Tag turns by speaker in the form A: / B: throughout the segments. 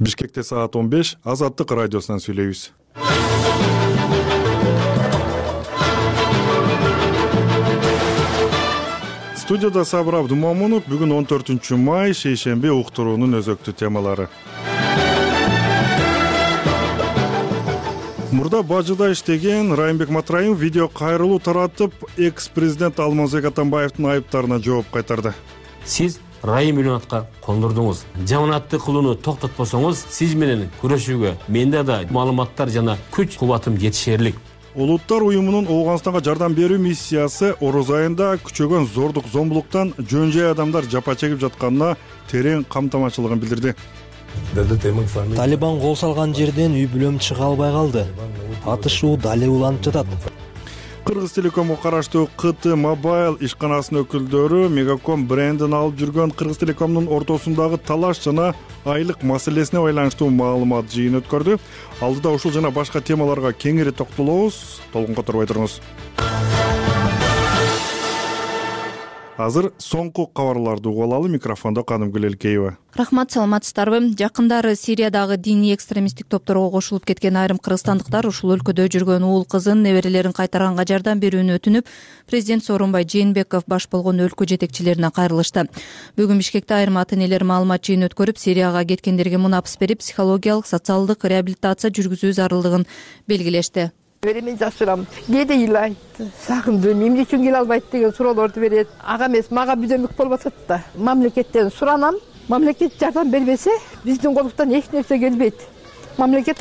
A: Бишкекте саат 15 Азаттык радиосунан сүйлөйбүз. Студияда Сабыр Абдумомунов. Бүгүн 14 май шейшемби, уктуруунун өзөктүү темалары. Мурда бажыда иштеген Райымбек Матраимов видео кайрылуу таратып, экс-президент Алмазбек Атамбаевдин айыптарына жооп кайтарды.
B: Сиз Райым Милонатка кондурдуңуз. Жаманатты кылууну токтотпосоңуз, сиз менен күрөшүүгө менде да маалыматтар жана күч кубатым жетишерлик.
A: Улуттар уюмунун Ооганстанга жардам берүү миссиясы Ороз айында күчөгөн зордук зомбулуктан жөн-жай адамдар жапа чегип жатканына терең камтамачылыгын билдирди.
C: Талибан кол салган жерден үй бүлөм чыга албай калды. Атышуу дали уланып жатат.
A: Кыргыз Телекомго караштуу КТ Mobile ишканасынын өкүлдөрү Мегаком брендин алып жүргөн Кыргыз Телекомдун ортосундагы талаш жана айлык маселесине байланыштуу маалымат жыйын өткөрдү. Алдыда ушул жана башка темаларга кеңири токтолобуз. Толкунга турбай туруңуз. Азыр соңку кабарларды угуп алалы. Микрофондо Канымгүл Элкеева.
D: Рахмат, саламатсыздарбы? Жакындары Сириядагы диний экстремисттик топторго кошулуп кеткен айрым кыргызстандыктар ушул өлкөдө жүргөн уул кызын, неберелерин кайтарганга жардам берүүнү өтүнүп, президент Сооронбай Жээнбеков баш болгон өлкө жетекчилерине кайрылышты. Бүгүн Бишкекте айрым ата-энелер маалымат жыйын өткөрүп, Сирияга кеткендерге мунапыс берип, психологиялык, социалдык реабилитация жүргүзүү зарылдыгын белгилешти.
E: Мен жашырам. Кээде ыйлайт. Сагындым, эмне үчүн келе албайт деген суроолорду берет. Ага эмес, мага бүдөмүк болуп атат да. Мамлекеттен суранам. Мамлекет жардам бербесе, биздин колуктан эч нерсе келбейт. Мамлекет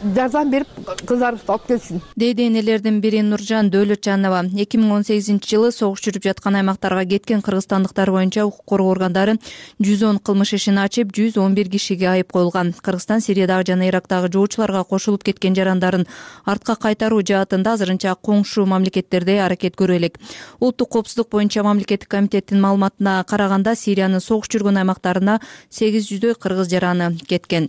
E: жардам берип, кыздарыбызды алып келсин.
D: Дейди энелердин бири Нуржан Дөөлөтжанова. 2018-жылы согуш жүрүп жаткан аймактарга кеткен кыргызстандыктар боюнча укук коргоо органдары 110 кылмыш ишин ачып, 111 кишиге айып коюлган. Кыргызстан Сириядагы жана Ирактагы жоочуларга кошулуп кеткен жарандарын артка кайтаруу жаатында азырынча коңшу мамлекеттерде аракет көрө элек. Улуттук коопсуздук боюнча мамлекеттик комитеттин маалыматына караганда, Сириянын согуш жүргөн аймактарына 800 кыргыз жараны кеткен.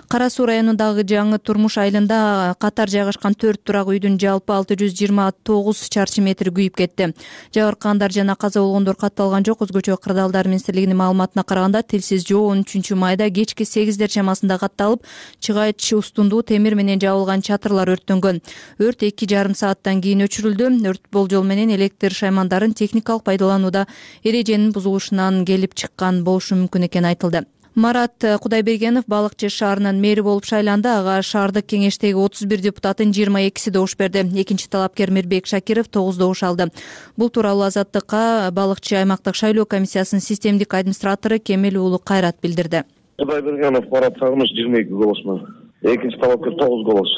D: Кара Суу районундагы Жаңы Турмуш айылында катар жайгашкан 4 турак үйдүн жалпы 629 чарчы метри күйүп кетти. Жабыркагандар жана каза болгондор катталган жок. Өзгөчө Кырдаалдар министрлигинин маалыматына караганда, тилсиз жоо 13 майда кечки 8 чамасында катталып, чыгайч устундуу темир менен жабылган чатырлар өрттөнгөн. Өрт 2,5 сааттан кийин өчүрүлдү. Өрт болжол менен электр шаймандарын техникалык пайдаланууда эреженин бузулушунан келип чыккан болушу мүмкүн экени айтылды. Марат Кудайбергенов Балыкчы шаарынын мэри болуп шайланды. Ага шаардык кеңештеги 31 депутаттын 22си добуш берди. Экинчи талапкер Мирбек Шакиров 9 добуш алды. Бул тууралуу Азаттыкка Балыкчы аймактык шайлоо комиссиясынын системдик администратору Кемел уулу Кайрат билдирди.
F: Кудайбергенов Марат Сагыныч 22 голос менен. Экинчи талапкер 9 голос.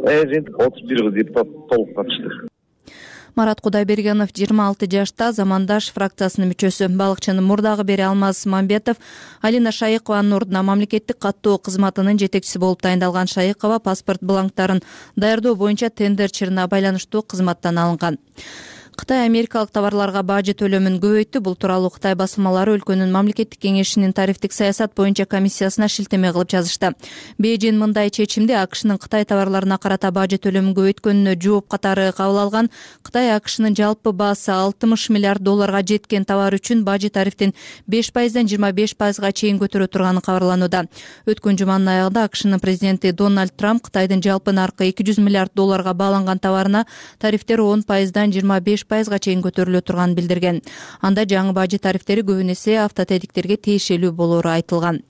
F: Жыйынтык 31 депутат толук катышты.
D: Марат Кудайбергенов 26 жашта, Замандаш фракциясынын мүчөсү. Балыкчынын мурдагы бери Алмаз Мамбетов Алина Шайыкованын ордуна мамлекеттик каттоо кызматынын жетекчиси болуп тайындалган. Шайыкова паспорт бланктарын даярдоо боюнча тендер чырына байланыштуу кызматтан алынган. Кытай америкалык товарларга бажы төлөмүн көбөйттү. Бул тууралуу Кытай басылмалары өлкөнүн мамлекеттик кеңешинин тарифтик саясат боюнча комиссиясына шилтеме кылып жазышты. Бейжин мындай чечимди AQShnын Кытай товарларына карата бажы төлөмүн көбөйткөнүнө жооп катары кабыл алган. Кытай AQShnын жалпы баасы $60 миллиард жеткен товар үчүн бажы тарифтин 5%дан 25%га чейин көтөрө турганы кабарланууда. Өткөн жуманын аягында AQShnын президенти Дональд Трамп Кытайдын жалпы наркы $200 миллиард бааланган товарына тарифтер 10%дан 25%га чейин көтөрүлө турганын билдирген. Анда жаңы бажы тарифтери көбүн эсе автотедиктерге тиешелүү болору айтылган.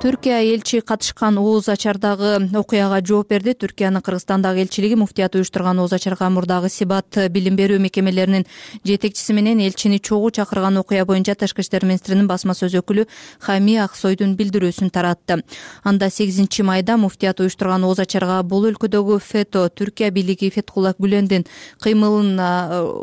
D: Түркия элчи катышкан ооз ачардагы окуяга жооп берди. Түркиянын Кыргызстандагы элчилиги муфтият уюштурган ооз ачарга мурдагы Сибат билим берүү мекемелеринин жетекчиси менен элчини чогуу чакырган окуя боюнча Тышкы иштер министринин басма сөз өкүлү Хами Аксойдун билдирүүсүн таратты. Анда 8 майда муфтият уюштурган ооз ачарга бул өлкөдөгү ФЭТО, Түркия бийлиги Фетхулла Гүлендин кыймылын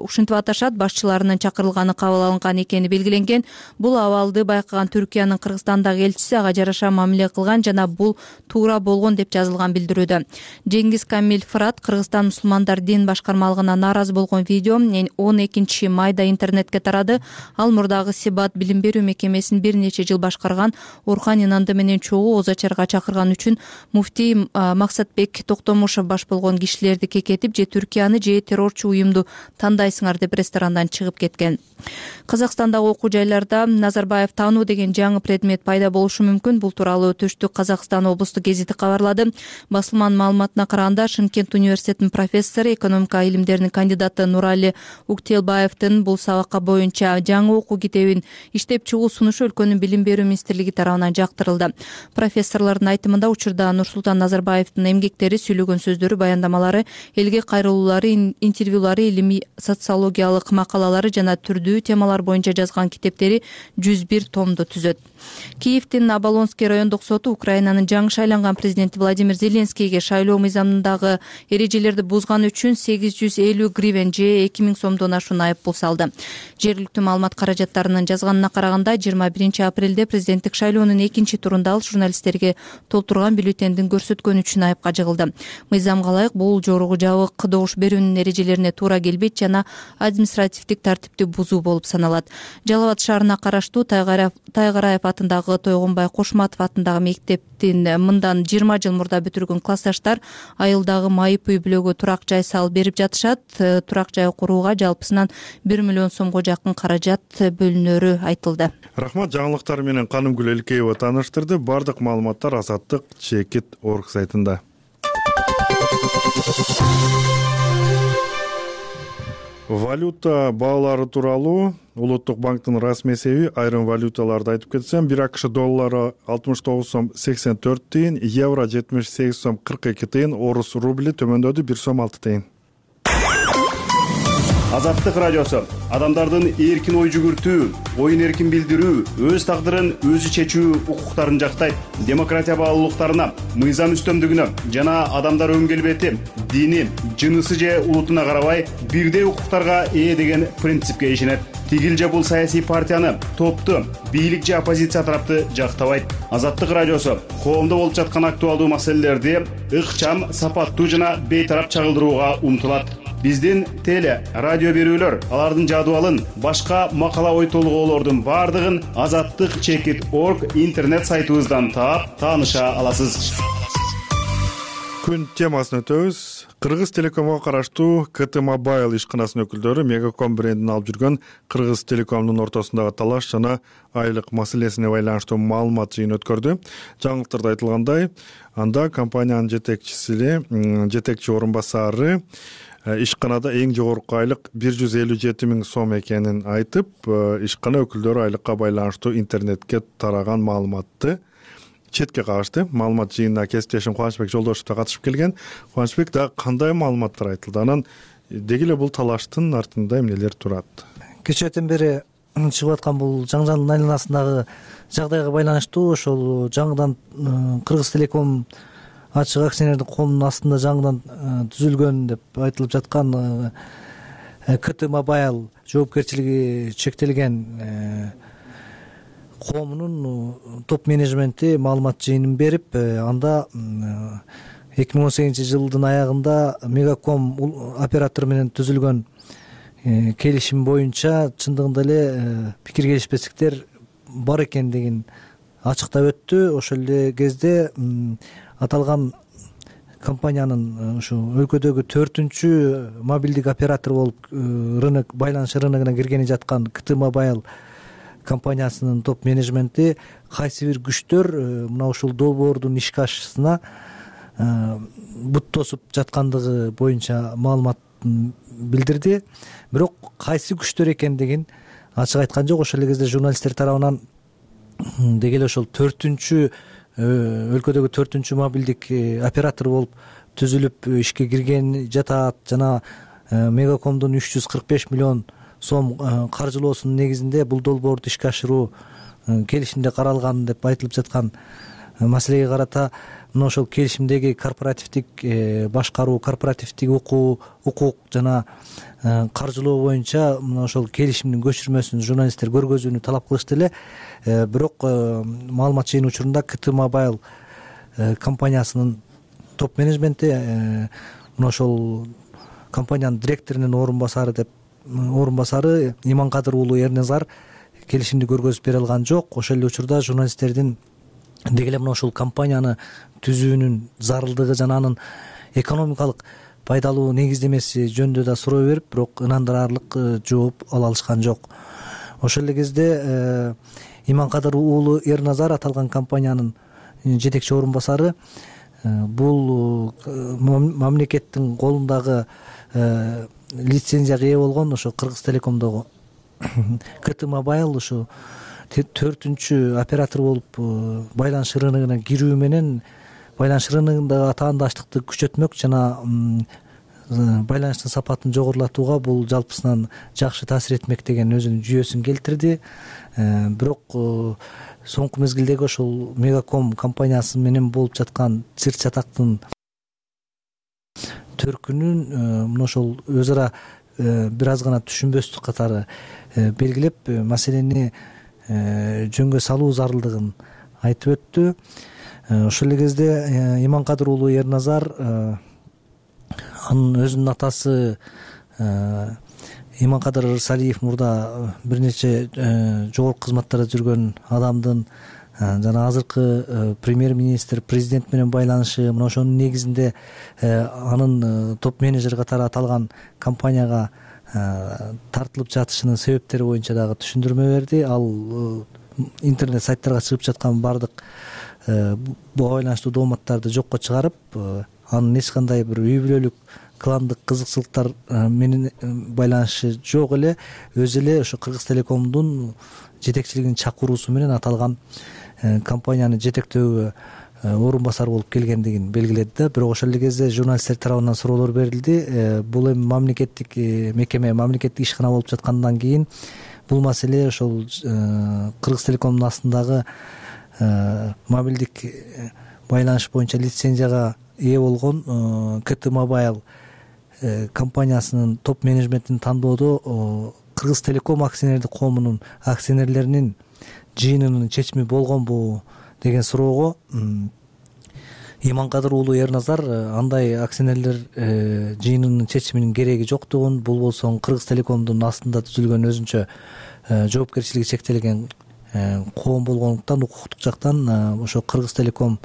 D: ушинтип аташат, башчыларынын чакырылганы кабыл алынган экени белгиленген. Бул абалды байкаган Түркиянын Кыргызстандагы элчиси ага жараша мамиле кылган жана бул туура болгон деп жазылган билдирүүдө. Жеңгиз Камил Фырат Кыргызстан мусулмандар дин башкармалыгына нааразы болгон видео 12 майда интернетке тарады. Ал мурдагы Сибат билим берүү мекемесин бир нече жыл башкарган Орхан Инанды менен чогуу ооз ачарга чакырган үчүн муфтий Максатбек Токтомушев баш болгон кишилерди кекетип, же Түркияны же террорчу уюмду тандайсыңар деп ресторандан чыгып кеткен. Казакстандагы окуу жайларда Назарбаев таануу деген жаңы предмет пайда болушу мүмкүн. Бул тууралуу Түштүк Казакстан облустук гезити кабарлады. Басылманын маалыматына караганда, Шымкент университетинин профессору, экономика илимдеринин кандидаты Нурали Уктелбаевдин бул сабакка боюнча жаңы окуу китебин иштеп чыгуу сунушу өлкөнүн билим берүү министрлиги тарабынан жактырылды. Профессорлордун айтымында, учурда Нурсултан Назарбаевдин эмгектери, сүйлөгөн сөздөрү, баяндамалары, элге кайрылуулары, интервьюлары, илимий социологиялык макалалары жана түрдүү темалар боюнча жазган китептери 101 томду түзөт. Киевдин Оболонский райондук соту Украинанын жаңы шайланган президенти Владимир Зеленскийге шайлоо мыйзамындагы эрежелерди бузганы үчүн 850 гривен же 2000 сомдон ашуун айыппул салды. Жергиликтүү маалымат каражаттарынын жазганына караганда, 21 апрелде президенттик шайлоонун экинчи турунда ал журналисттерге толтурган бюллетендин көрсөткөнү үчүн айыпка жыгылды. Мыйзамга ылайык бул жогорку жабык добуш берүүнүн эрежелерине туура келбейт жана административдик тартипти бузуу болуп саналат. Жалал Абад шаарына караштуу Тайгараев атындагы Тойгонбай Кошматов атындагы мектептин мындан 20 жыл мурда бүтүргөн классташтар айылдагы майып үй бүлөгө турак жай салып берип жатышат. Турак жай курууга жалпысынан 1 миллион сомго жакын каражат бөлүнөрү айтылды.
A: Рахмат, жаңылыктар менен Канымгүл Элкеева тааныштырды. Бардык маалыматтар Азаттык Чекит.org сайтында. Валюта баалары тууралуу Улуттук банктын расмий эсеби айрым валюталарды айтып кетсем, 1 АКШ доллары 69 сом 84 тыйын, евро 78 сом 42 тыйын, орус рубли төмөндөдү 1 сом 6 тыйын.
G: Азаттык радиосу адамдардын эркин ой жүгүртүү, оюн эркин билдирүү, өз тагдырын өзү чечүү укуктарын жактайт. Демократия баалуулуктарына, мыйзам үстөмдүгүнө жана адамдар өн келбети, дини, жынысы же улутуна карабай бирдей укуктарга ээ деген принципке ишенет. Тигил же бул саясий партияны, топту, бийлик же оппозиция тарапты жактабайт. Азаттык радиосу коомдо болуп жаткан актуалдуу маселелерди ыкчам, сапаттуу жана бейтарап чагылдырууга умтулат. Биздин теле, радио берүүлөр, алардын жадыбалын, башка макала ой толгоолордун бардыгын Азаттык Чекит.org интернет сайтыбыздан таап, тааныша аласыз.
A: Күн темасын өтөбүз. Кыргыз Телекомго караштуу КТ Mobile ишканасынын өкүлдөрү Мегаком брендин алып жүргөн Кыргыз Телекомдун ортосундагы талаш жана айлык маселесине байланыштуу маалымат жыйын өткөрдү. Жаңылыктарда айтылгандай, анда компаниянын жетекчи орун басары ишканада эң жогорку айлык 157 000 сом экенин айтып, ишкана өкүлдөрү айлыкка байланыштуу интернетке тараган маалыматты четке кагышты. Маалымат жыйынына кесиптешим Кубанычбек Жолдошев да катышып келген. Кубанычбек да кандай маалыматтар айтылды? Анан деги эле бул талаштын артында эмнелер турат?
C: Кечээден бери чыгып аткан бул жаңжалдын айланасындагы жагдайга байланыштуу ошол жаңыдан Кыргыз Телеком ачык акционердик коомунун астында жаңыдан түзүлгөн деп айтылып жаткан КТ Mobile жоопкерчилиги чектелген коомунун топ менеджменти маалымат жыйынын берип, анда 2018 жылдын аягында Мегаком оператору менен түзүлгөн келишим боюнча чындыгында эле пикир келишпестиктер бар экендигин ачыктап өттү. Ошол эле кезде аталган компаниянын ушу өлкөдөгү 4-чү мобилдик оператор болуп рынок байланыш рыногуна киргени жаткан КТ Mobile компаниясынын топ менеджменти кайсы бир күчтөр мына ушул долбоордун ишке ашышына бут тосуп жаткандыгы боюнча маалымат билдирди. Бирок кайсы күчтөр экендигин ачык айткан жок. Ошол эле кезде журналисттер тарабынан деги эле ошол 4-чү өлкөдөгү 4-чү мобилдик оператор болуп түзүлүп ишке кирген жатат жана Мегакомдун 345 миллион сом каржылоосунун негизинде бул долбоорду ишке ашыруу келишимде каралган деп айтылып жаткан маселеге карата мына ошол келишимдеги корпоративдик башкаруу, корпоративдик укук жана каржылоо боюнча мына ошол келишимдин көчүрмөсүн журналисттер көргөзүүнү талап кылышты эле. Бирок маалымат жыйын учурунда КТ Mobile компаниясынын топ менеджменти мына ошол компаниянын директорунун орун басары Иманкадыр уулу Эрнезар келишимди көргөзүп бере алган жок. Ошол эле учурда журналисттердин деги эле мына ушул компанияны түзүүнүн зарылдыгы жана анын экономикалык пайдалуу негиздемеси жөнүндө да суроо берип, бирок ынандырарлык жооп ала алышкан жок. Ошол эле кезде Иманкадыр уулу Эрназар аталган компаниянын жетекчи орун басары бул мамлекеттин колундагы лицензияга ээ болгон ошо Кыргыз Телекомдогу КТ Mobile ушу 4-үнчү оператор болуп байланыш рыногуна кирүү менен байланыш рыногундагы атаандаштыкты күчөтмөк жана байланыштын сапатын жогорулатууга бул жалпысынан жакшы таасир этмек деген өзүнүн жүйөсүн келтирди. Бирок соңку мезгилдеги ошол Мегаком компаниясы менен болуп жаткан чыр чатактын төркүнүн мына ошол өз ара бир аз гана түшүнбөстүк катары белгилеп маселени жөнгө салуу зарылдыгын айтып өттү. Ошол эле кезде Иманкадыр уулу Ерназар анын өзүнүн атасы Иманкадыр Ырсалиев мурда бир нече жогорку кызматтарда жүргөн адамдын жана азыркы премьер-министр президент менен байланышы мына ошонун негизинде анын топ менеджер катары аталган компанияга тартылып жатышынын себептери боюнча дагы түшүндүрмө берди. Ал интернет сайттарга чыгып жаткан баардык буга байланыштуу дооматтарды жокко чыгарып, анын эч кандай бир үй бүлөлүк кландык кызыкчылыктар менен байланышы жок эле, өзү эле ошо Кыргыз Телекомдун жетекчилигинин чакыруусу менен аталган компанияны жетектөөгө орун басар болуп келгендигин белгиледи да. Бирок ошол эле кезде журналисттер тарабынан суроолор берилди. Бул эми мамлекеттик мекеме, мамлекеттик ишкана болуп жаткандан кийин бул маселе ошол Кыргыз Телекомдун астындагы мобилдик байланыш боюнча лицензияга ээ болгон КТ Mobile компаниясынын топ менеджментин тандоодо Кыргыз Телеком акционердик коомунун акционерлеринин жыйынынын чечими болгонбу деген суроого Иманкадыр уулу Ерназар андай акционерлер жыйынынын чечиминин кереги жоктугун, бул болсо Кыргыз Телекомдун астында түзүлгөн өзүнчө жоопкерчилиги чектелген коом болгондуктан укуктук жактан ошо Кыргыз Телеком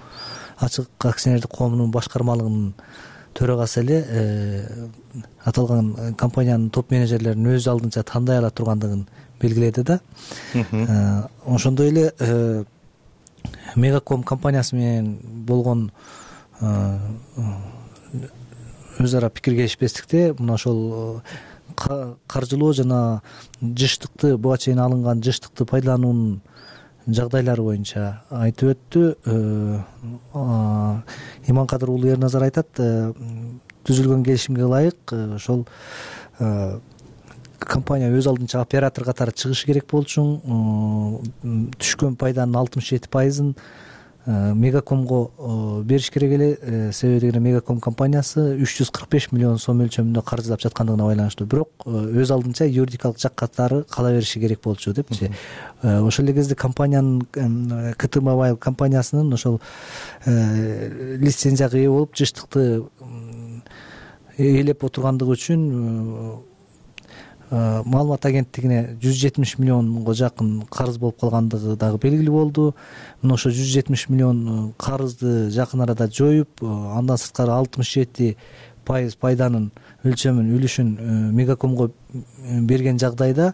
C: ачык акционердик коомунун башкармалыгынын төрагасы эле аталган компаниянын топ менеджерлерин өз алдынча тандай ала тургандыгын белгиледи да. Ошондой эле Мегаком компаниясы менен болгон өз ара пикир келишпестикте мына ошол каржылоо жана жыштыкты, буга чейин алынган жыштыкты пайдалануунун жагдайлары боюнча айтып өттү. Иманкадыр уулу Ерназар айтат, түзүлгөн келишимге ылайык ошол компания өз алдынча оператор катары чыгышы керек болчу. Түшкөн пайданын 67%-ын Мегакомго бериш керек эле. Себеби дегенде Мегаком компаниясы 345 миллион сом өлчөмүндө каржылап жаткандыгына байланыштуу. Бирок өз алдынча юридикалык жак катары кала бериши керек болчу депчи. Ошол эле кезде компаниянын КТ Mobile компаниясынын ошол лицензияга ээ болуп жыштыкты ээлеп отургандыгы үчүн маалымат агенттигине 170 миллионго жакын карыз болуп калгандыгы дагы белгилүү болду. Мына ошо 170 миллион карызды жакын арада жоюп, андан сырткары 67% пайданын өлчөмүн, үлүшүн Мегакомго берген жагдайда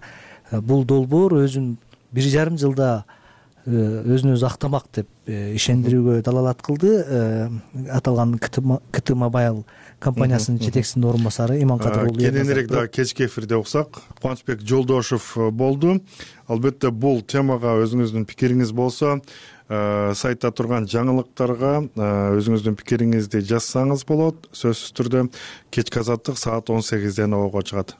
C: бул долбоор өзүн 1,5 жылда өзүн өзү актамак деп ишендирүүгө далалат кылды. Аталган КТ Mobile компаниясынын жетекчисинин орун басары Иманкадыр уулу.
A: Кененирээк дагы кечки эфирде уксак, Кубанычбек Жолдошев болду. Албетте бул темага өзүңүздүн пикириңиз болсо, сайтта турган жаңылыктарга өзүңүздүн пикириңизди жазсаңыз болот. Сөзсүз түрдө кечки азаттык саат 18ден ого чыгат.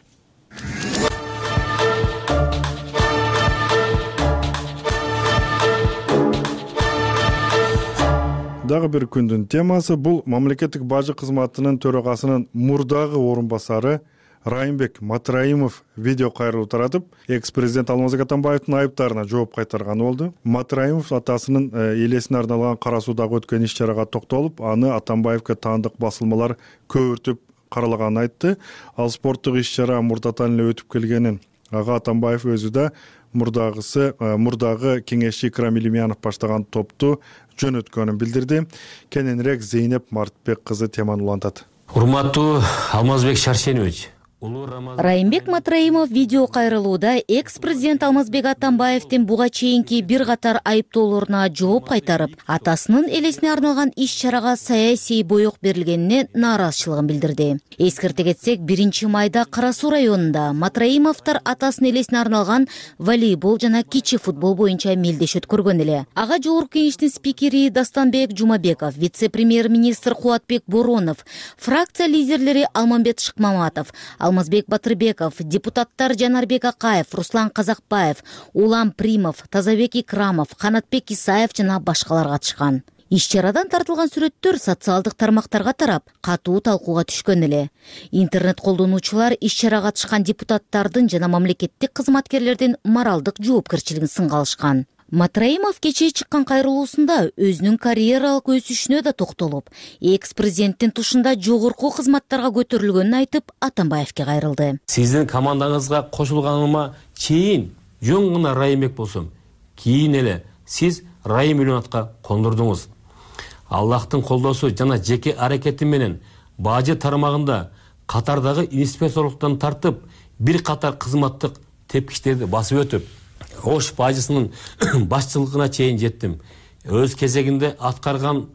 A: Дагы бир күндүн темасы бул мамлекеттик бажы кызматынын төрагасынын мурдагы орун басары Райымбек Матраимов видео кайрылуу таратып, экс-президент Алмазбек Атамбаевдин айыптарына жооп кайтарганы болду. Матраимов атасынын элесине арналган Кара Суудагы өткөн иш-чарага токтолуп, аны Атамбаевге таандык басылмалар көбүртүп каралаганын айтты. Ал спорттук иш-чара мурдатан эле өтүп келгенин, ага Атамбаев өзү да мурдагы кеңешчи Икрам Илимянов баштаган топту жөнөткөнүн билдирди. Кененирээк Зейнеп Мартбек кызы теманы улантат.
B: Урматтуу Алмазбек Шаршенович,
H: Райымбек Матраимов видео кайрылууда экс-президент Алмазбек Атамбаевдин буга чейинки бир катар айыптоолоруна жооп кайтарып, атасынын элесине арналган иш-чарага саясий боек берилгенине нааразычылыгын билдирди. Эскерте кетсек, 1-майда Кара Суу районунда Матраимовдор атасынын элесине арналган волейбол жана кичи футбол боюнча мелдеш өткөргөн эле. Ага жогорку кеңештин спикери Дастанбек Жумабеков, вице-премьер-министр Кубатбек Боронов, фракция лидерлери Алмамбет Шыкмаматов, Алмазбек Батырбеков, депутаттар Жанарбек Акаев, Руслан Казакбаев, Улам Примов, Тазабек Икрамов, Канатбек Исаев жана башкалар катышкан. Иш-чарадан тартылган сүрөттөр социалдык тармактарга тарап, катуу талкууга түшкөн эле. Интернет колдонуучулар иш-чарага катышкан депутаттардын жана мамлекеттик кызматкерлердин моралдык жоопкерчилигин сынга алышкан. Матраимов кечээ чыккан кайрылуусунда өзүнүн карьералык өсүшүнө да токтолуп, экс-президенттин тушунда жогорку кызматтарга көтөрүлгөнүн айтып, Атамбаевке кайрылды.
B: Сиздин командаңызга кошулганыма чейин жөн гана Райымбек болсом, кийин эле сиз Райым Милонатка кондурдуңуз. Аллахтын колдоосу жана жеке аракети менен бажы тармагында катардагы инспекторлуктан тартып, бир катар кызматтык тепкичтерди басып өтүп, Ош бажысынын башчылыгына чейин жеттим. Өз кезегинде аткарган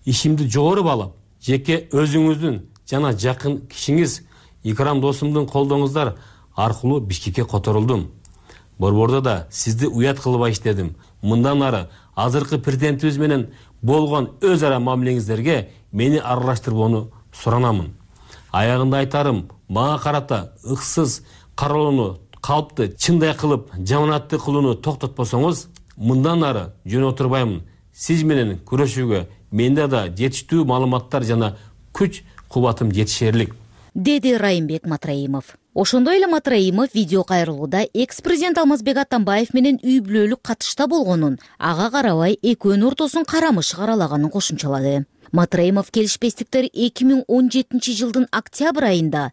B: ишимди жогору баалап, жеке өзүңүздүн жана жакын кишиңиз Икрам досумдун колдооңуздар аркылуу Бишкекке которулдум. Борбордо да сизди уят кылбай иштедим. Мындан ары азыркы президентибиз менен болгон өз ара мамилеңиздерге мени аралаштырбоону суранамын. Аягында айтарым, мага карата ыксыз каралууну калпты чындай кылып, жаманатты кылууну токтотпосоңуз, мындан ары жөн отурбаймын. Сиз менен күрөшүүгө менде да жетиштүү маалыматтар жана күч кубатым жетишерлик,
H: деди Райымбек Матраимов. Ошондой эле Матраимов видео кайрылууда экс-президент Алмазбек Атамбаев менен үй бүлөлүк катышта болгонун, ага карабай экөөнүн ортосун карамыш каралаганын кошумчалады. Матраимов келишпестиктер 2017 жылдын октябрь айында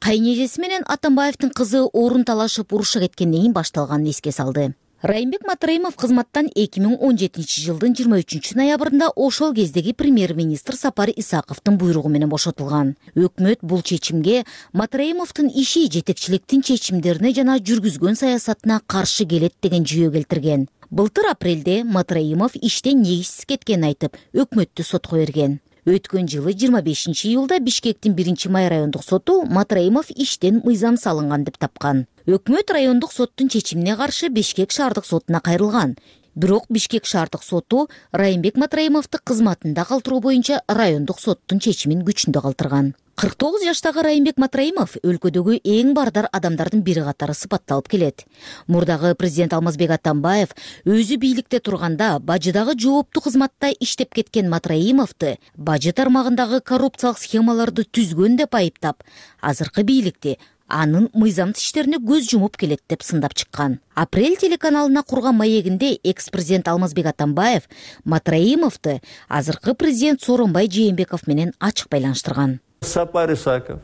H: кайнежеси менен Атамбаевдин кызы орун талашып уруша кеткенден кийин башталганын эске салды. Райымбек Матраимов кызматтан 2017 жылдын 23 ноябрында ошол кездеги премьер-министр Сапар Исаковдун буйругу менен бошотулган. Өкмөт бул чечимге Матраимовдун иши жетекчиликтин чечимдерине жана жүргүзгөн саясатына каршы келет деген жүйө келтирген. Былтыр апрелде Матраимов иштен негизсиз кеткенин айтып, өкмөттү сотко берген. Өткөн жылы 25 июлда Бишкектин 1-май райондук соту Матраимов иштен мыйзам салынган деп тапкан. Өкмөт райондук соттун чечимине каршы Бишкек шаардык сотуна кайрылган. Бирок Бишкек шаардык соту Райымбек Матраимовду кызматында калтыруу боюнча райондук соттун чечимин күчүндө калтырган. 49 жаштагы Райымбек Матраимов өлкөдөгү эң бардар адамдардын бири катары сыпатталып келет. Мурдагы президент Алмазбек Атамбаев өзү бийликте турганда бажыдагы жооптуу кызматта иштеп кеткен Матраимовду бажы тармагындагы коррупциялык схемаларды түзгөн деп айыптап, азыркы бийликти анын мыйзамдуу иштерине көз жумуп келет деп сындап чыккан. Апрель телеканалына курган маегинде экс-президент Алмазбек Атамбаев Матраимовду азыркы президент Сооронбай Жээнбеков менен ачык байланыштырган.
I: Сапар Исаков,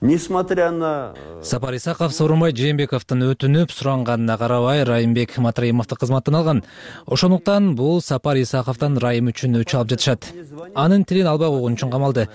I: несмотря на...
J: Сапар Исаков Сооронбай Жээнбековдун өтүнүп суранганына карабай Райымбек Матраимовду кызматтан алган. Ошондуктан бул Сапар Исаковдон Райым үчүн өчү алып жатышат. Анын тилин албай койгон үчүн камалды.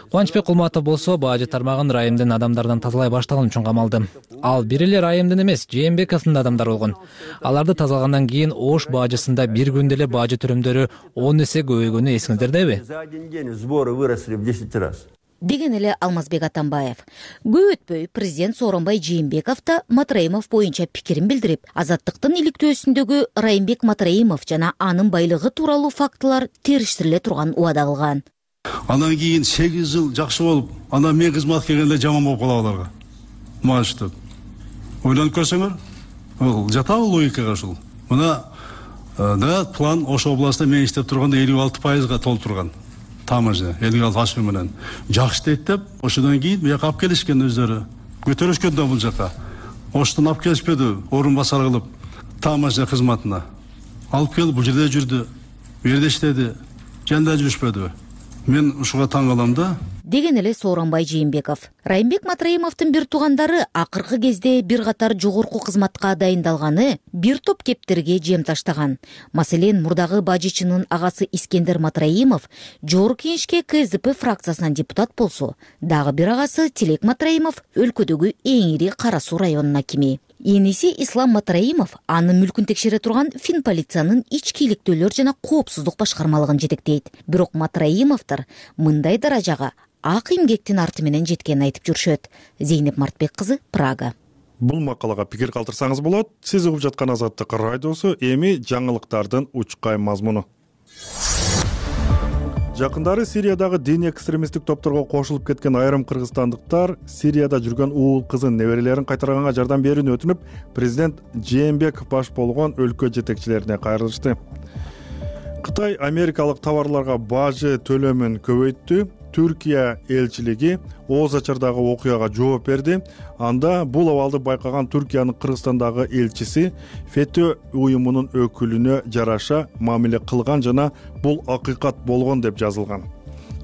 J: Кубанычбек Кулматов болсо бажы тармагын Райымдын адамдардан тазалай баштаган үчүн камалды. Ал бир эле Райымдын эмес, Жээнбековдун адамдары болгон. Аларды тазалагандан кийин Ош бажысында бир күндө эле бажы төрөмдөрү 10 эсе көбөйгөнү эсиңиздердеби?
I: За один день сборы выросли в 10 раз.
H: Деген эле Алмазбек Атамбаев. Көп өтпөй президент Сооронбай Жээнбеков да Матраимов боюнча пикирин билдирип, азаттыктын иликтөөсүндөгү Райымбек Матраимов жана анын байлыгы тууралуу фактылар териштириле турган убада кылган.
K: Андан кийин 8 жыл жакшы болуп, анан мен кызматка келгенде жаман болуп калабы аларга. Мааштып. Ойлонуп көрсөңөр, бул жатабы логикага ушул. Мына да план Ош областында мен иштеп турганда 56%га толуп турган. Тамажы, 56 ашкы менен. Жакшы дейт деп, ошондон кийин буяка алып келишкен өздөрү. Көтөрүшкөн да бул жака. Оштон алып келишпеди, орун басар кылып, Тамажы кызматына. Алып келип бул жерде жүрдү, бу жерде иштеди, жанда жүрүшпөдү. Мен ушуга таң калам да.
H: деген эле Сооронбай Жээнбеков. Райымбек Матраимовдун бир туугандары акыркы кезде бир катар жогорку кызматка дайындалганы бир топ кептерге жем таштаган. Маселен, мурдагы бажычынын агасы Искендер Матраимов Жогорку Кеңешке КСДП фракциясынан депутат болсо, дагы бир агасы Тилек Матраимов өлкөдөгү эң ири Кара Суу районунун акими. Эниси Ислам Матраимов анын мүлкүн текшере турган Финполициянын ички иликтөөлөр жана коопсуздук башкармалыгын жетектейт. Бирок Матраимовдор мындай даражага ак эмгектин арты менен жеткенин айтып жүрүшөт. Зейнеп Мартбек кызы, Прага.
A: Бул макалага пикир калтырсаңыз болот. Сиз угуп жаткан Азаттык радиосу, эми жаңылыктардын учкай мазмуну. Жакындары Сириядагы диний экстремисттик топторго кошулуп кеткен айрым кыргызстандыктар Сирияда жүргөн уул кызын, неберелерин кайтарганга жардам берүүнү өтүнүп, президент Жээнбеков баш болгон өлкө жетекчилерине кайрылышты. Кытай америкалык товарларга бажы төлөмүн көбөйттү. Түркия элчилиги Оз Ачардагы окуяга жооп берди. Анда бул абалды байкаган Түркиянын Кыргызстандагы элчиси ФЕТÖ уюмунун өкүлүнө жараша мамиле кылган жана бул акыйкат болгон деп жазылган.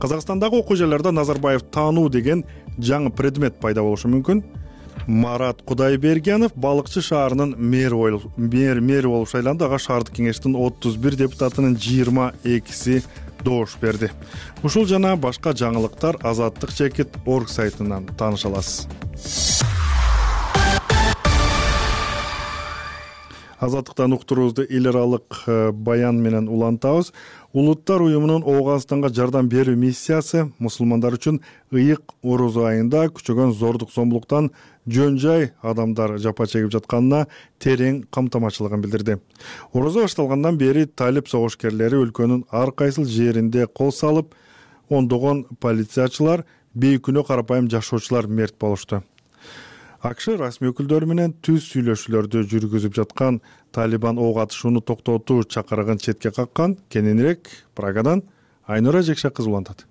A: Казакстандагы окуу жайларда Назарбаев таануу деген жаңы предмет пайда болушу мүмкүн. Марат Кудайбергенов Балыкчы шаарынын мэри болуп шайланды. Ага шаардык кеңештин 31 депутатынын 22си доош берди. Ушул жана башка жаңылыктар Азаттык.org сайтынан тааныша аласыз. Азаттыктан уктуруубузду эл аралык баян менен улантабыз. Улуттар уюмунун Ооганстанга жардам берүү миссиясы мусулмандар үчүн ыйык орозо айында күчөгөн зордук зомбулуктан жөн-жай адамдар жапа чегип жатканына терең камтамачылыгын билдирди. Орозо башталгандан бери талип согушкерлери өлкөнүн ар кайсыл жеринде кол салып, ондогон полициячылар, бейкүнөө карапайым жашоочулар мерт болушту. АКШ расмий өкүлдөрү менен түз сүйлөшүүлөрдү жүргүзүп жаткан Талибан ок атышууну токтотуу чакырыгын четке каккан. Кененирээк Прагадан Айнура Жекше кызы улантат.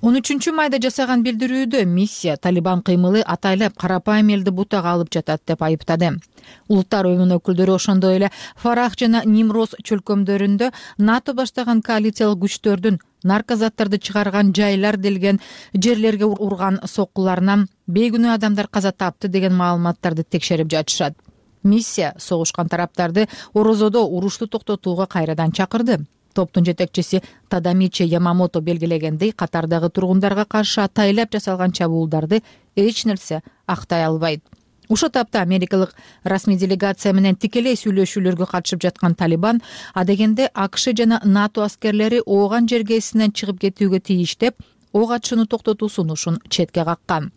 L: 13-майда жасаган билдирүүдө миссия Талибан кыймылы атайлап карапайым элди бутага алып жатат деп айыптады. Улуттар уюмунун өкүлдөрү ошондой эле Фарах жана Нимроз чөлкөмдөрүндө НАТО баштаган коалициялык күчтөрдүн наркозаттарды чыгарган жайлар делген жерлерге урган соккуларынан бейкүнөө адамдар каза тапты деген маалыматтарды текшерип жатышат. Миссия согушкан тараптарды Орозодо урушту токтотууга кайрадан чакырды. Топтун жетекчиси Тадамичи Ямамото белгилегендей, катардагы тургундарга каршы атайлап жасалган чабуулдарды эч нерсе актай албайт. Ошол тапта америкалык расмий делегация менен тикелей сүйлөшүүлөргө катышып жаткан Талибан адегенде АКШ жана НАТО аскерлери ооган жергесинен чыгып кетүүгө тийиш деп ок атышууну токтотуу сунушун четке каккан.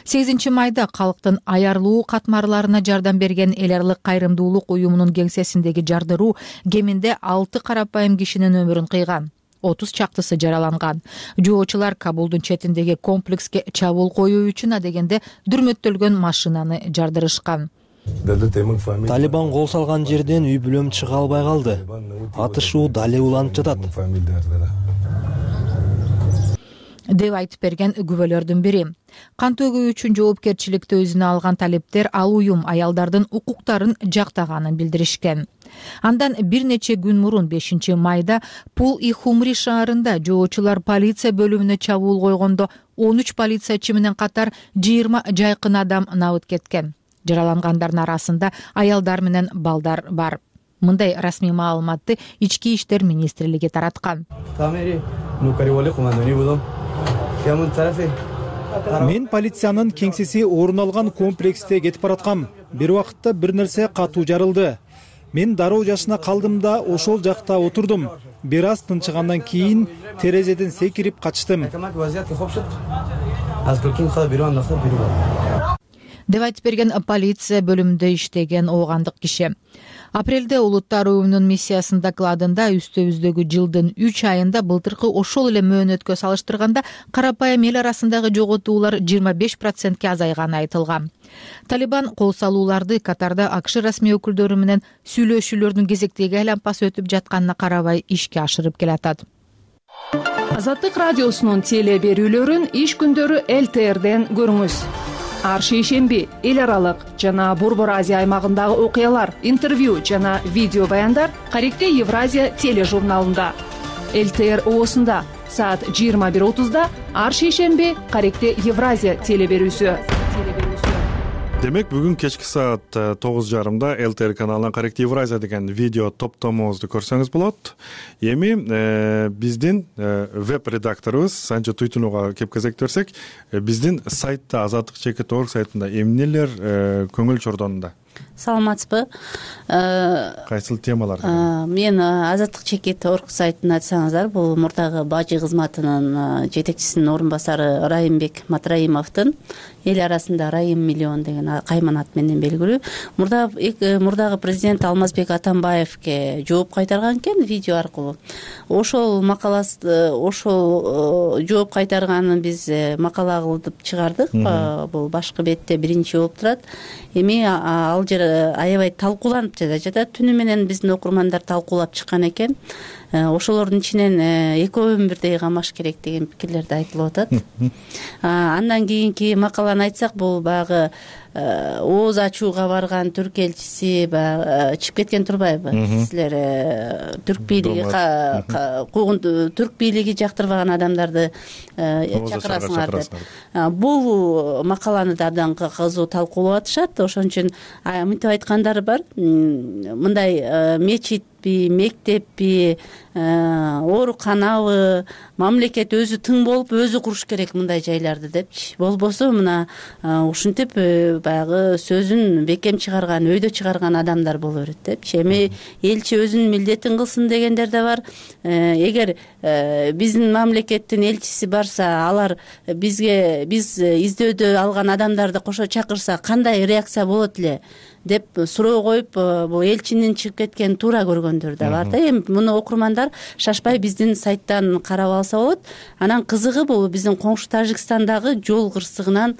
L: 8-майда калктын аярлуу катмарларына жардам берген эл аралык кайрымдуулук уюмунун кеңсесиндеги жардыруу кеминде 6 карапайым кишинин өмүрүн кыйган. 30 чактысы жараланган. Жоочулар Кабулдун четиндеги комплекске чабуул коюу үчүн адегенде дүрмөттөлгөн машинаны жардырышкан.
M: Талибан кол салган жерден үй бүлөм чыга албай калды. Атышуу дале уланып жатат
L: деп айтып берген күбөлөрдүн бири. Кан төгүү үчүн жоопкерчиликти өзүнө алган талиптер ал уюм аялдардын укуктарын жактаганын билдиришкен. Андан бир нече күн мурун 5-майда Пул-и-Хумри шаарында жоочулар полиция бөлүмүнө чабуул койгондо 13 полициячы менен катар 20 жайкын адам набыт кеткен. Жаралангандардын арасында аялдар менен балдар бар. Мындай расмий маалыматты Ички иштер министрлиги тараткан.
N: Мен полициянын кеңсеси орун алган комплексте кетип бараткам. Бир убакытта бир нерсе катуу жарылды. Мен дароо жашына калдым да ошол жакта отурдум. Бир аз тынчыгандан кийин терезеден секирип качтым.
L: Деп айтып берген полиция бөлүмүндө иштеген оогандык киши. Апрелде Улуттар уюмунун миссиясынын докладында үстөбүздөгү жылдын 3 айында былтыркы ошол эле мөөнөткө салыштырганда карапайым эл арасындагы жоготуулар 25%ке азайганы айтылган. Талибан кол салууларды катарда АКШ расмий өкүлдөрү менен сүйлөшүүлөрдүн кезектеги айлампасы өтүп жатканына карабай ишке ашырып келатат.
O: Азаттык радиосунун теле берүүлөрүн иш күндөрү ЛТРден көрүңүз. Ар шейшемби эл аралык жана Борбор Азия аймагындагы окуялар, интервью жана видео баяндар Каректе Евразия тележурналында. ЛТР оосунда саат 21:30 ар шейшемби Каректе Евразия телеберүүсү.
A: Демек бүгүн кечки саат 9:30 ЛТР каналынан Каректе Евразия деген видео топтомубузду көрсөңүз болот. Эми биздин веб редакторубуз Санжы Туйтунууга кеп кезектирсек, биздин сайтта azatlyk.org сайтында эмнелер көңүл чордонунда?
P: Саламатсызбы?
A: Кайсыл темалар?
P: Мен azatlyk.org сайтын ачсаңыздар, бул мурдагы бажы кызматынын жетекчисинин орун басары Райымбек Матраимовдун эл арасында Райым миллион деген кайман ат менен белгилүү. Мурдагы президент Алмазбек Атамбаевге жооп кайтарган экен видео аркылуу. Ошол макаласы, ошол жооп кайтарганын биз макала кылып чыгардык. Бул башкы бетте биринчи болуп турат. Эми ал жер аябай талкууланып жатат. Түнү менен биздин окурмандар талкуулап чыккан экен. Ошолордун ичинен экөөнүн бирдей камаш керек деген пикирлерди айтылып атат. Андан кийинки макаланы айтсак, бул баягы ооз ачууга барган түрк элчиси чыгып кеткен турбайбы? Силер түрк бийлиги жактырбаган адамдарды чакырасыңар деп. Бул макаланы да абдан кызуу талкуулап атышат. Ошон үчүн мынтип айткандар бар. Мындай мечитпи, мектеппи, ооруканабы мамлекет өзү тың болуп өзү куруш керек мындай жайларды депчи. Болбосо мына ушинтип баягы сөзүн бекем чыгарган, өйдө чыгарган адамдар боло берет депчи. Эми элчи өзүнүн милдетин кылсын дегендер да бар. Эгер биздин мамлекеттин элчиси барса, алар биз издөөдө алган адамдарды кошо чакырса кандай реакция болот эле деп суроо коюп, бул элчинин чыгып кеткенин туура көргөндөр да бар да. Эми муну окурмандар шашпай биздин сайттан карап алса болот. Анан кызыгы бул биздин коңшу Тажикстандагы жол кырсыгынан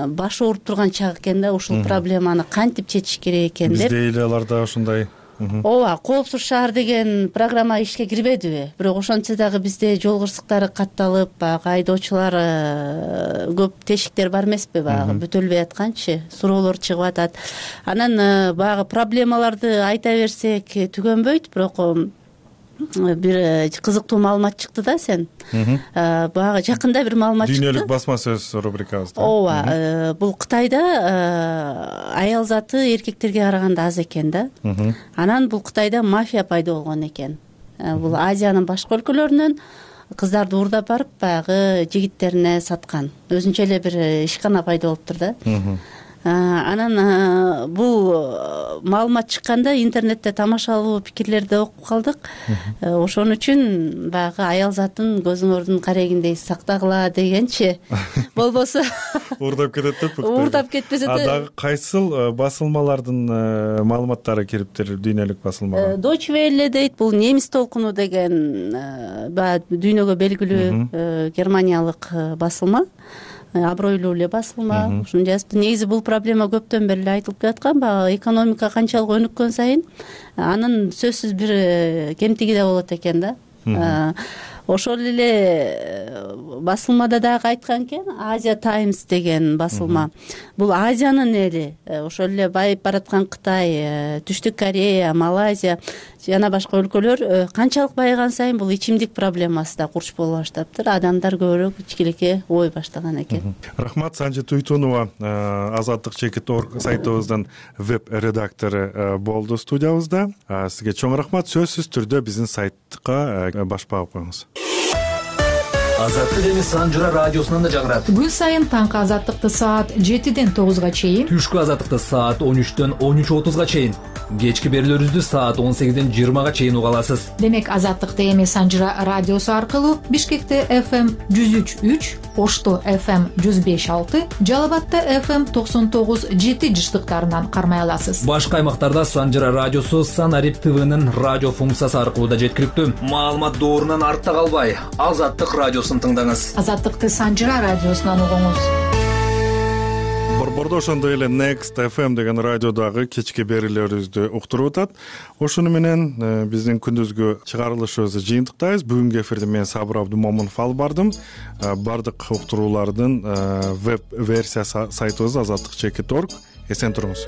P: башы ооруп турган чак экен да. Ушул проблеманы кантип чечиш керек экен деп.
A: Бизде эле аларда ошондой
P: Ооба, коопсуз шаар деген программа ишке кирбедиби? Бирок ошентсе дагы бизде жол кырсыктары катталып, баягы айдоочулар көп тешиктер бар эмеспи, баягы бүтөлбөй атканчы, суроолор чыгып атат. Анан баягы проблемаларды айта берсек түгөнбөйт, бирок бир кызыктуу маалымат чыкты да сен. Баягы жакында бир маалымат чыкты.
A: Дүйнөлүк басма сөз рубрикабызда.
P: Ооба, бул Кытайда аял заты эркектерге караганда аз экен да. Анан бул Кытайда мафия пайда болгон экен. Бул Азиянын башка өлкөлөрүнөн кыздарды уурдап барып, баягы жигиттерине саткан. Өзүнчө эле бир ишкана пайда болуптур да. Анан бул маалымат чыкканда интернетте тамашалуу пикирлерди окуп калдык. Ошон үчүн баягы аял затын көзүңөрдүн карегиндей сактагыла дегенчи. Болбосо
A: уурдап кетет деп.
P: Уурдап кетпесе да.
A: Дагы кайсыл басылмалардын маалыматтары кириптир дүйнөлүк басылмага?
P: Deutsche Welle дейт, бул немис толкуну деген дүйнөгө белгилүү германиялык басылма. Абройлуу эле басылма. Ушуну жазыпты. Негизи бул проблема көптөн бери эле айтылып келаткан. Баягы экономика канчалык өнүккөн сайын анын сөзсүз бир кемтиги да болот экен да. Ошол эле басылмада дагы айткан экен, Asia Times деген басылма. Бул Азиянын эли, ошол эле байып бараткан Кытай, Түштүк Корея, Малайзия жана башка өлкөлөр канчалык байыган сайын бул ичимдик проблемасы да курч боло баштаптыр. Адамдар көбүрөөк ичкилекке ой баштаган экен.
A: Рахмат, Санжы Туйтунова azatlyk.org сайтыбыздын веб редактору болду студиябызда. Сизге чоң рахмат. Сөзсүз түрдө биздин сайтка баш багып коюңуз.
J: Азаттык эми Санжыра радиосунан да жагырат.
L: Күн сайын таңкы азаттыкты саат 7-ден 9-га чейин,
J: түшкү азаттыкты саат 13-төн 13:30-га чейин, кечки берүүлөрүбүздү саат 18-ден 20-га чейин уга аласыз.
L: Демек азаттыкты эми Санжыра радиосу аркылуу Бишкекте FM 103.3, Ошто FM 105.6, Жалал-Абадта FM 99.7 жыштыктарынан кармай аласыз.
J: Башка аймактарда Санжыра радиосу Санарип ТВнын радио функциясы аркылуу да жеткиликтүү. Маалымат доорунан артта калбай, Азаттык радиосун тыңдаңыз.
L: Азаттыкты Санжыра радиосунан угуңуз.
A: Борбордо ошондой эле Next FM деген радиодагы кечки берүүлөрүбүздү уктуруп атат. Ошону менен биздин күндүзгү чыгарылышыбызды жыйынтыктайбыз. Бүгүнкү эфирде мен Сабыр Абдумомунов алып бардым. Бардык уктуруулардын веб версиясы сайтыбыз azatlyk.org. Эсен туруңуз.